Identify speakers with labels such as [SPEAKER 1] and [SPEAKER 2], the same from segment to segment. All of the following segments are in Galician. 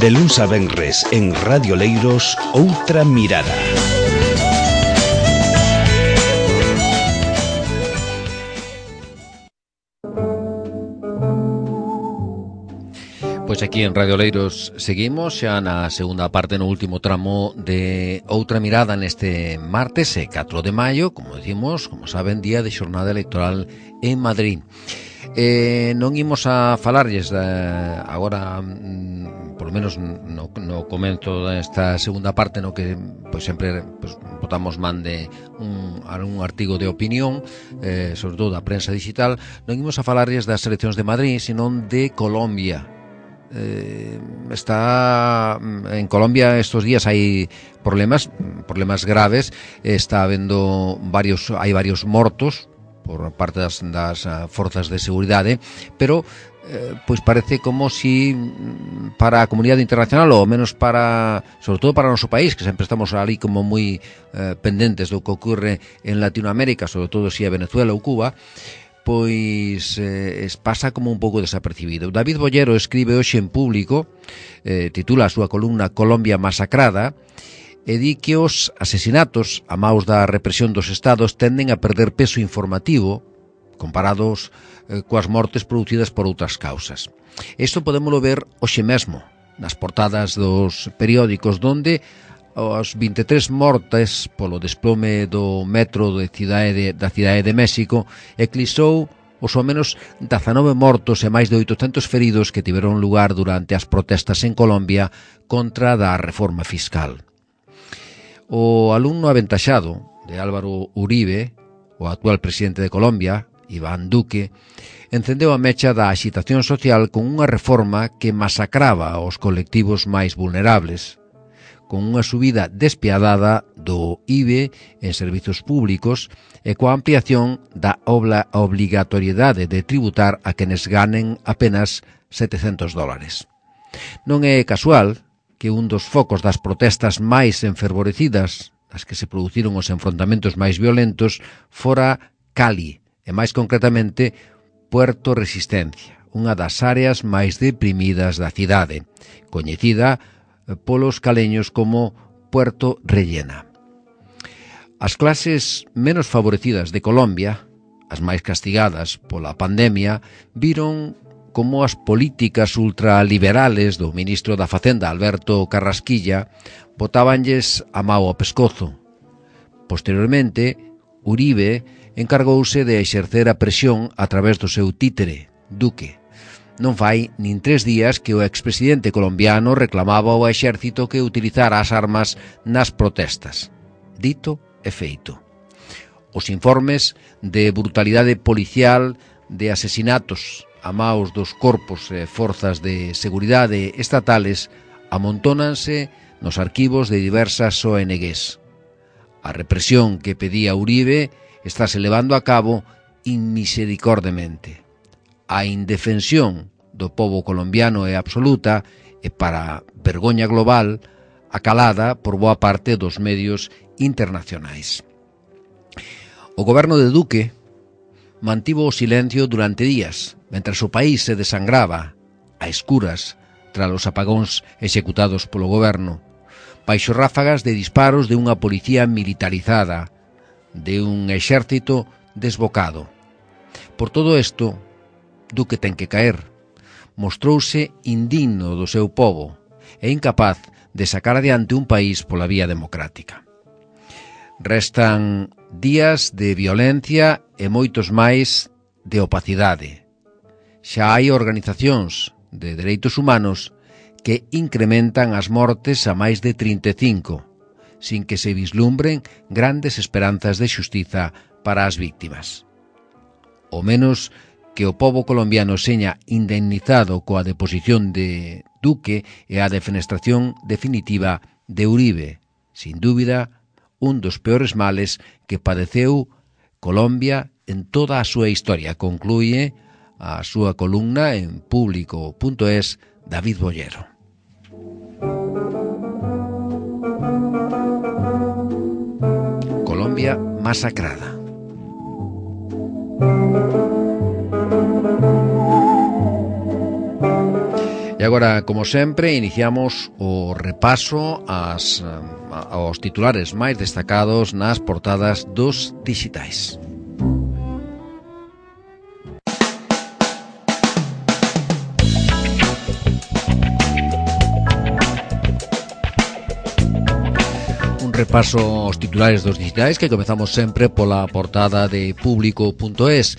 [SPEAKER 1] De luns a venres en Radio Leiros, Outra Mirada.
[SPEAKER 2] Pois aquí en Radio Leiros seguimos xa na segunda parte, no último tramo de Outra Mirada neste martes 4 de maio, como decimos, como saben, día de xornada electoral en Madrid. Non imos a falarlles agora, polo menos no comento desta segunda parte, no que pois sempre botamos man de un artigo de opinión, sobre todo da prensa digital. Non imos a falarlles das eleccións de Madrid, senón de Colombia. Está en Colombia estos días hai problemas graves. Está habendo hai varios mortos por parte das forzas de seguridade, pero pois parece como si para a comunidade internacional, ou menos sobre todo para o noso país, que sempre estamos ali como moi pendentes do que ocorre en Latinoamérica, sobre todo si é Venezuela ou Cuba, pois pasa como un pouco desapercibido. David Bollero escribe hoxe en Público, titula a súa columna Colombia masacrada, e di que os asesinatos a maus da represión dos estados tenden a perder peso informativo comparados coas mortes producidas por outras causas. Isto podémolo ver hoxe mesmo nas portadas dos periódicos, donde os 23 mortes polo desplome do metro da cidade de México eclipsou os ao menos 19 mortos e máis de 800 feridos que tiveron lugar durante as protestas en Colombia contra a reforma fiscal. O alumno aventaxado de Álvaro Uribe, o actual presidente de Colombia, Iván Duque, encendeu a mecha da axitación social con unha reforma que masacraba os colectivos máis vulnerables, con unha subida despiadada do IBE en servizos públicos e coa ampliación da obligatoriedade de tributar a quenes ganen apenas $700. Non é casual que un dos focos das protestas máis enfervorecidas, das que se produciron os enfrontamentos máis violentos, fora Cali, e máis concretamente Puerto Resistencia, unha das áreas máis deprimidas da cidade, coñecida polos caleños como Puerto Rellena. As clases menos favorecidas de Colombia, as máis castigadas pola pandemia, viron como as políticas ultraliberales do ministro da Facenda, Alberto Carrasquilla, botábanlles a mao ao pescozo. Posteriormente, Uribe encargouse de exercer a presión a través do seu títere, Duque. Non fai nin 3 días que o expresidente colombiano reclamaba ao exército que utilizara as armas nas protestas. Dito e feito. Os informes de brutalidade policial, de asesinatos a maus dos corpos e forzas de seguridade estatales amontónanse nos arquivos de diversas ONGs. A represión que pedía Uribe estáse levando a cabo inmisericordemente. A indefensión do pobo colombiano é absoluta e, para vergoña global, acalada por boa parte dos medios internacionais. O goberno de Duque mantivo o silencio durante días, mentres o país se desangraba a escuras tras os apagóns executados polo goberno, baixo ráfagas de disparos de unha policía militarizada, de un exército desbocado. Por todo isto, Duque ten que caer. Mostrouse indigno do seu pobo e incapaz de sacar adiante un país pola vía democrática. Restan días de violencia e moitos máis de opacidade. Xa hai organizacións de dereitos humanos que incrementan as mortes a máis de 35, sin que se vislumbren grandes esperanzas de xustiza para as víctimas. O menos que o pobo colombiano seña indemnizado coa deposición de Duque e a defenestración definitiva de Uribe, sin dúbida, un dos peores males que padeceu Colombia en toda a súa historia, conclúe a súa columna en Público.es David Bollero. Colombia masacrada. E agora, como sempre, iniciamos o repaso aos titulares máis destacados nas portadas dos dixitais. Repaso aos titulares dos digitais que comezamos sempre pola portada de Público.es.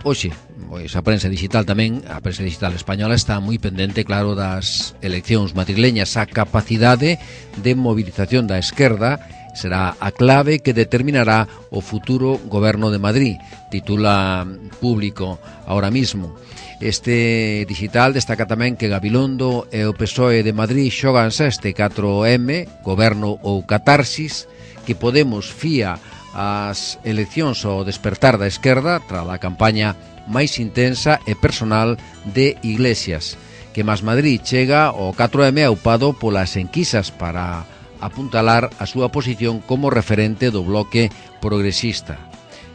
[SPEAKER 2] Hoxe, pois a prensa digital tamén, a prensa digital española está moi pendente, claro, das eleccións madrileñas. A capacidade de movilización da esquerda será a clave que determinará o futuro goberno de Madrid, titula Público ahora mismo. Este digital destaca tamén que Gabilondo e o PSOE de Madrid xoganse este 4M, goberno ou catarsis, que Podemos fía as eleccións ao despertar da esquerda tras a campaña máis intensa e personal de Iglesias, que Más Madrid chega ao 4M aupado polas enquisas para apuntalar a súa posición como referente do bloque progresista.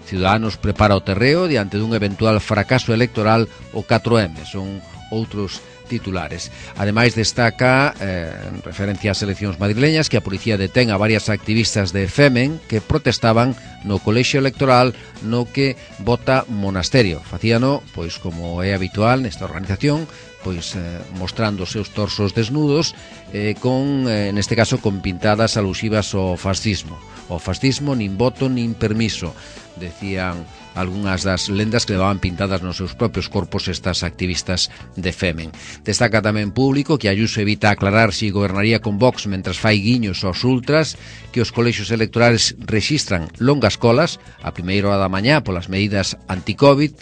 [SPEAKER 2] Ciudadanos prepara o terreo diante dun eventual fracaso electoral o 4M, son outros titulares. Ademais destaca, en referencia ás eleccións madrileñas, que a policía detén a varias activistas de Femen que protestaban no colexio electoral no que vota Monasterio. Facíano, pois como é habitual nesta organización, pois mostrando os seus torsos desnudos, neste caso con pintadas alusivas ao fascismo. O fascismo nin voto nin permiso, decían algunhas das lendas que levaban pintadas nos seus propios corpos estas activistas de Femen. Destaca tamén Público que Ayuso evita aclarar se gobernaría con Vox mentras fai guiños aos ultras, que os colexios electorales rexistran longas colas a primeira hora da mañá polas medidas anti-Covid.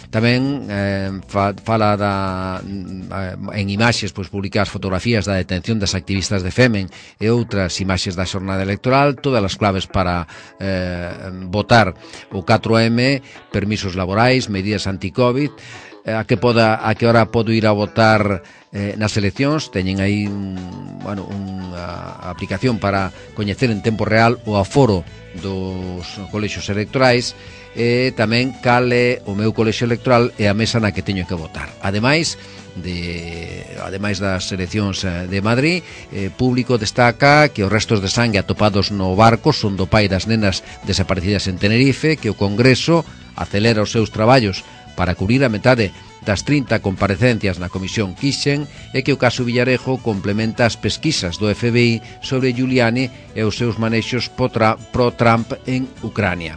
[SPEAKER 2] Tamén fala en imaxes pois publicadas fotografías da detención das activistas de Femen e outras imaxes da xornada electoral, todas as claves para votar o 4M, permisos laborais, medidas anti-Covid, a que hora podo ir a votar nas eleccións. Teñen aí unha aplicación para coñecer en tempo real o aforo dos colexios electorais, e tamén cal é o meu colexio electoral e a mesa na que teño que votar. Ademais das eleccións de Madrid, Público destaca que os restos de sangue atopados no barco son do pai das nenas desaparecidas en Tenerife, que o Congreso acelera os seus traballos para cubrir a metade das 30 comparecencias na Comisión Kixen, e que o caso Villarejo complementa as pesquisas do FBI sobre Giuliani e os seus manexos pro-Trump en Ucrania.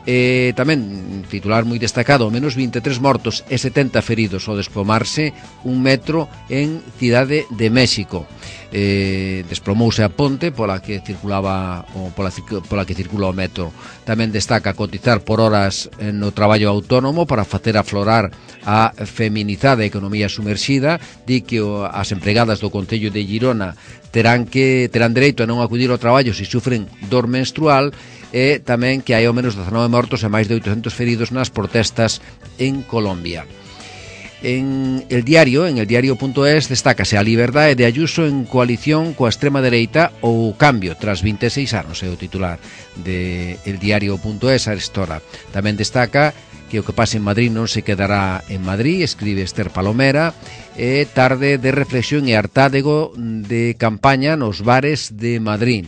[SPEAKER 2] Tamén titular moi destacado: menos 23 mortos e 70 feridos ao desplomarse un metro en Cidade de México. Desplomouse a ponte pola que circula o metro. Tamén destaca cotizar por horas no traballo autónomo para facer aflorar a feminizada economía sumerxida. Di que as empregadas do Concello de Girona terán dereito a non acudir ao traballo se sufren dor menstrual, e tamén que hai ao menos 19 mortos e máis de 800 feridos nas protestas en Colombia. En el diario.es destácase a liberdade de Ayuso en coalición coa extrema dereita ou cambio tras 26 anos, é o titular de el diario.es a esta hora. Tamén destaca que o que pase en Madrid non se quedará en Madrid, escribe Esther Palomera, e tarde de reflexión e hartádego de campaña nos bares de Madrid.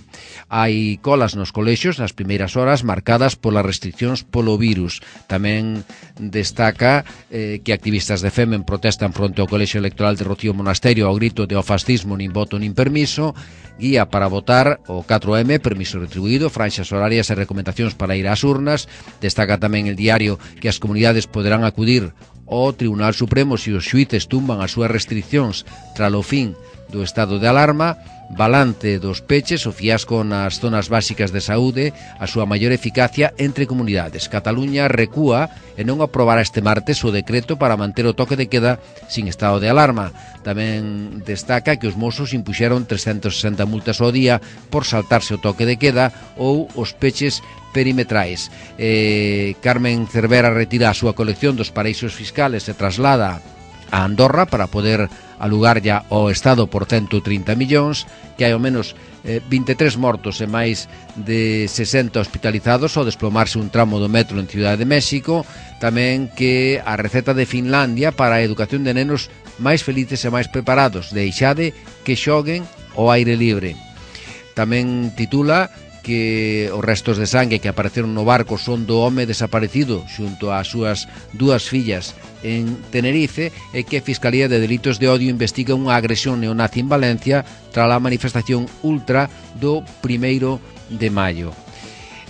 [SPEAKER 2] Hai colas nos colexios nas primeiras horas marcadas polas restriccións polo virus. Tamén destaca que activistas de Femen protestan fronte ao colexio electoral de Rocío Monasterio ao grito de "o fascismo nin voto nin permiso". Guía para votar o 4M, permiso retribuído, franxas horarias e recomendacións para ir ás urnas. Destaca tamén el diario que as comunidades poderán acudir ao Tribunal Supremo se os xuíces tumban as súas restriccións tralo fin do estado de alarma. Balance dos peches, o fiasco nas zonas básicas de saúde, a súa maior eficacia entre comunidades. Cataluña recúa e non aprobará este martes o decreto para manter o toque de queda sin estado de alarma. Tamén destaca que os mozos impuxeron 360 multas ao día por saltarse o toque de queda ou os peches perimetrais. Carmen Cervera retira a súa colección dos paraísos fiscales e traslada a Andorra para poder alugar ya ao Estado por 130 millóns, que hai ao menos 23 mortos e máis de 60 hospitalizados ao desplomarse un tramo do metro en Cidade de México. Tamén que a receta de Finlandia para a educación de nenos máis felices e máis preparados. Deixade que xoguen ao aire libre. Tamén titula que os restos de sangue que apareceron no barco son do home desaparecido xunto ás súas dúas fillas en Tenerife e que a Fiscalía de Delitos de Odio investiga unha agresión neonazi en Valencia tras a manifestación ultra do 1 de maio.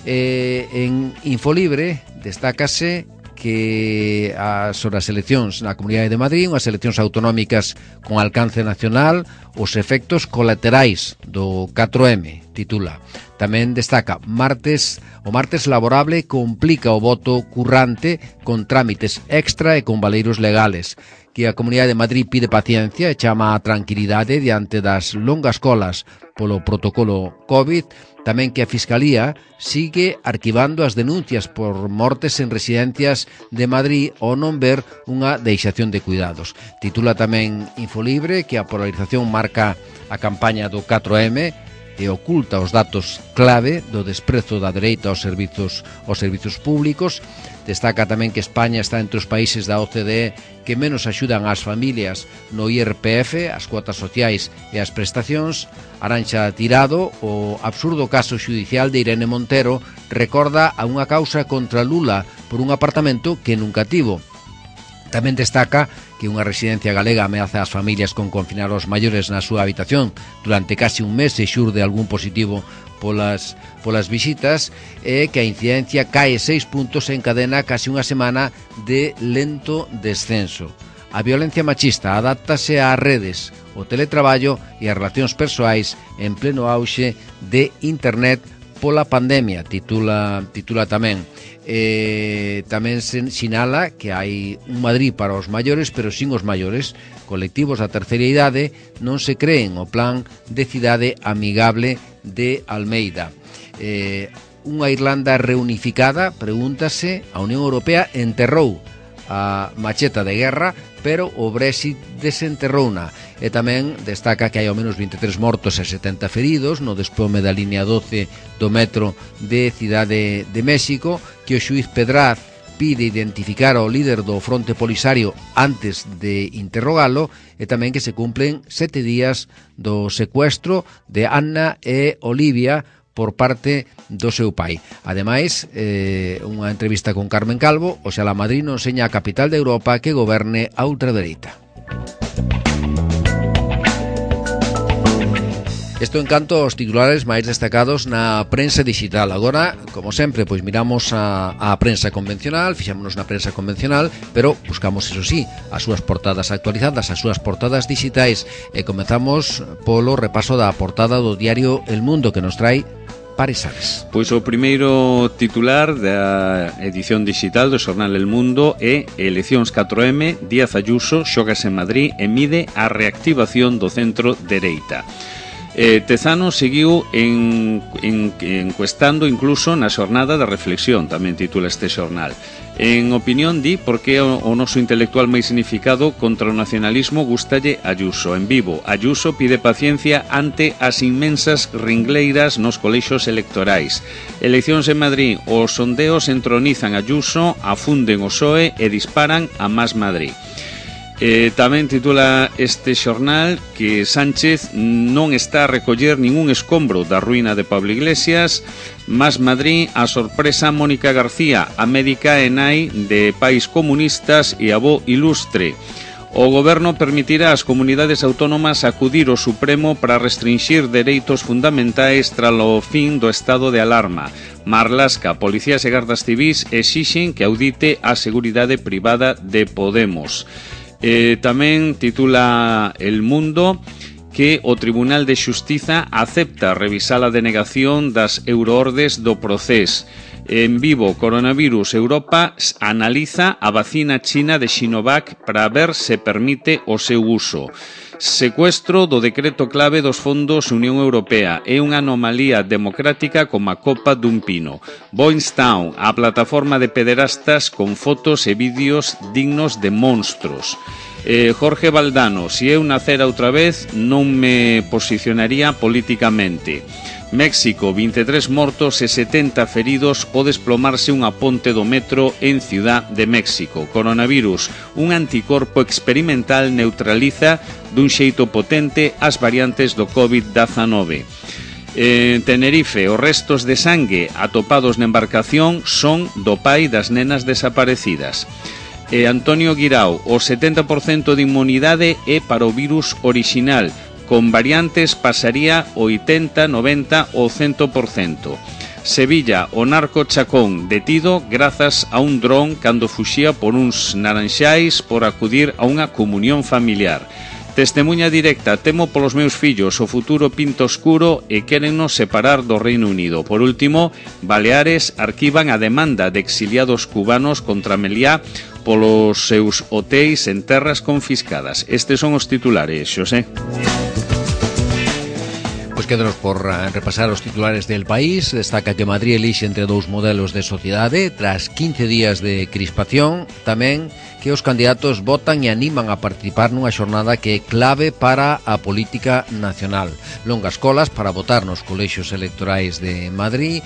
[SPEAKER 2] En Infolibre destácase que sobre as eleccións na Comunidade de Madrid, unhas eleccións autonómicas con alcance nacional, os efectos colaterais do 4M, titula. Tamén destaca, o martes laborable complica o voto currante con trámites extra e con valeiros legales, que a Comunidade de Madrid pide paciencia e chama a tranquilidade diante das longas colas polo protocolo COVID. Tamén que a Fiscalía sigue arquivando as denuncias por mortes en residencias de Madrid ao non ver unha deixación de cuidados. Titula tamén Infolibre que a polarización marca a campaña do 4M e oculta os datos clave do desprezo da dereita aos servizos públicos. Destaca tamén que España está entre os países da OCDE que menos axudan ás familias no IRPF, as cuotas sociais e as prestacións. Arantxa Tirado, o absurdo caso xudicial de Irene Montero, recorda a unha causa contra Lula por un apartamento que nunca tivo. Tamén destaca que unha residencia galega ameaza as familias con confinar os maiores na súa habitación durante casi un mes e xurde algún positivo polas visitas e que a incidencia cae 6 puntos en cadena casi unha semana de lento descenso. A violencia machista adáptase ás redes, o teletraballo e as relacións persoais en pleno auxe de internet pola pandemia, titula tamén. Tamén se sinala que hai un Madrid para os maiores, pero sin os maiores. Colectivos da terceira idade non se creen o plan de cidade amigable de Almeida. Unha Irlanda reunificada, pregúntase, a Unión Europea enterrou a macheta de guerra, pero o Brexit desenterrouna. E tamén destaca que hai ao menos 23 mortos e 70 feridos no desplome da línea 12 do metro de Cidade de México, que o xuiz Pedraz pide identificar ao líder do Fronte Polisario antes de interrogalo, e tamén que se cumplen 7 días do secuestro de Anna e Olivia por parte do seu pai. Ademais, unha entrevista con Carmen Calvo, Oxalá Madrid non seña a capital de Europa que goberne a ultradereita. Isto en canto aos titulares máis destacados na prensa digital. Agora, como sempre, pois miramos a prensa convencional, fixámonos na prensa convencional, pero buscamos, eso sí, as súas portadas actualizadas, as súas portadas digitais, e comezamos polo repaso da portada do diario El Mundo, que nos trae Pares Ares.
[SPEAKER 3] Pois o primeiro titular da edición digital do xornal El Mundo é Eleccións 4M, Díaz Ayuso xogas en Madrid e mide a reactivación do centro dereita. Tezano seguiu encuestando incluso na xornada da reflexión, tamén titula este xornal. En opinión di por que o noso intelectual máis significado contra o nacionalismo gustalle Ayuso. En Vivo, Ayuso pide paciencia ante as inmensas ringleiras nos colexios electorais. Eleccións en Madrid, os sondeos entronizan Ayuso, afunden o PSOE e disparan a Más Madrid. Tamén titula este xornal que Sánchez non está a recoller ningún escombro da ruína de Pablo Iglesias. Más Madrid, a sorpresa Mónica García, a médica e nai de pais comunistas e avó ilustre. O goberno permitirá ás comunidades autónomas acudir ao Supremo para restringir dereitos fundamentais tras o fin do estado de alarma. Marlaska, policías e gardas civís exixen que audite a seguridade privada de Podemos. Tamén titula El Mundo que o Tribunal de Xustiza acepta revisar a denegación das euroordes do Procés. En Vivo, coronavirus, Europa analiza a vacina china de Sinovac para ver se permite o seu uso. Secuestro do decreto clave dos fondos Unión Europea é unha anomalía democrática como a copa dun pino. Boystown, a plataforma de pederastas con fotos e vídeos dignos de monstros. Jorge Valdano, si eu nacera outra vez non me posicionaría políticamente. México, 23 mortos e 70 feridos ao desplomarse unha ponte do metro en Ciudad de México. Coronavirus, un anticorpo experimental neutraliza dun xeito potente as variantes do COVID-19. En Tenerife, os restos de sangue atopados na embarcación son do pai das nenas desaparecidas. Antonio Guirao, o 70% de inmunidade é para o virus orixinal, con variantes pasaría o 80, 90 ou 100%. Sevilla, o narco Chacón, detido grazas a un dron cando fuxía por uns naranxais por acudir a unha comunión familiar. Testemunha directa, temo polos meus fillos, o futuro pinta oscuro e quérennos separar do Reino Unido. Por último, Baleares arquivan a demanda de exiliados cubanos contra Meliá polos seus hotéis en terras confiscadas. Estes son os titulares, Xosé.
[SPEAKER 2] Pois quédanos por repasar os titulares del país. Destaca que Madrid elixe entre dous modelos de sociedade tras 15 días de crispación. Tamén que os candidatos votan e animan a participar nunha xornada que é clave para a política nacional. Longas colas para votar nos colexios electorais de Madrid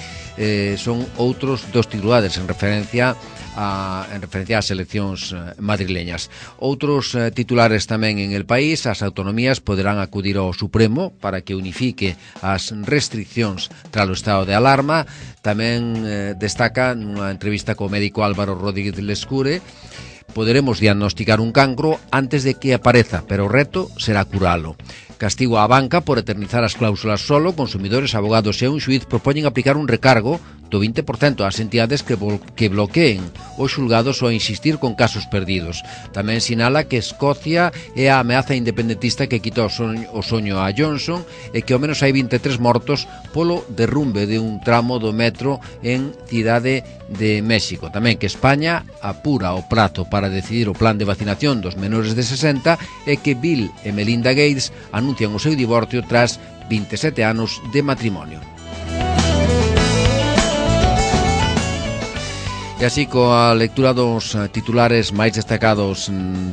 [SPEAKER 2] son outros dos titulares en referencia ás eleccións madrileñas. Outros titulares tamén en el país: as autonomías poderán acudir ao Supremo para que unifique as restriccións tras o estado de alarma. Tamén destaca nunha entrevista co médico Álvaro Rodríguez Lescure: poderemos diagnosticar un cancro antes de que apareza, pero o reto será curalo. Castigo á banca por eternizar as cláusulas solo. Consumidores, abogados e un xuiz propoñen aplicar un recargo do 20% ás entidades que bloqueen os xulgados ou insistir con casos perdidos. Tamén sinala que Escocia é a ameaza independentista que quita o soño a Johnson e que ao menos hai 23 mortos polo derrumbe de un tramo do metro en Cidade de México. Tamén que España apura o prazo para decidir o plan de vacinación dos menores de 60 e que Bill e Melinda Gates anuncian o seu divorcio tras 27 anos de matrimonio. E así, coa lectura dos titulares máis destacados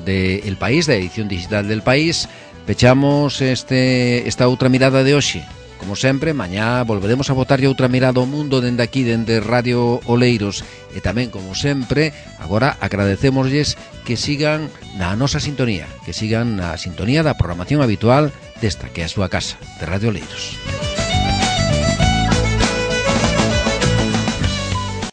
[SPEAKER 2] de El País, da edición digital del País, pechamos esta outra mirada de hoxe. Como sempre, mañá volveremos a botarlle outra mirada ao mundo dende aquí, dende Radio Oleiros. E tamén, como sempre, agora agradecémoslles que sigan na nosa sintonía, que sigan na sintonía da programación habitual desta que é a súa casa, de Radio Oleiros.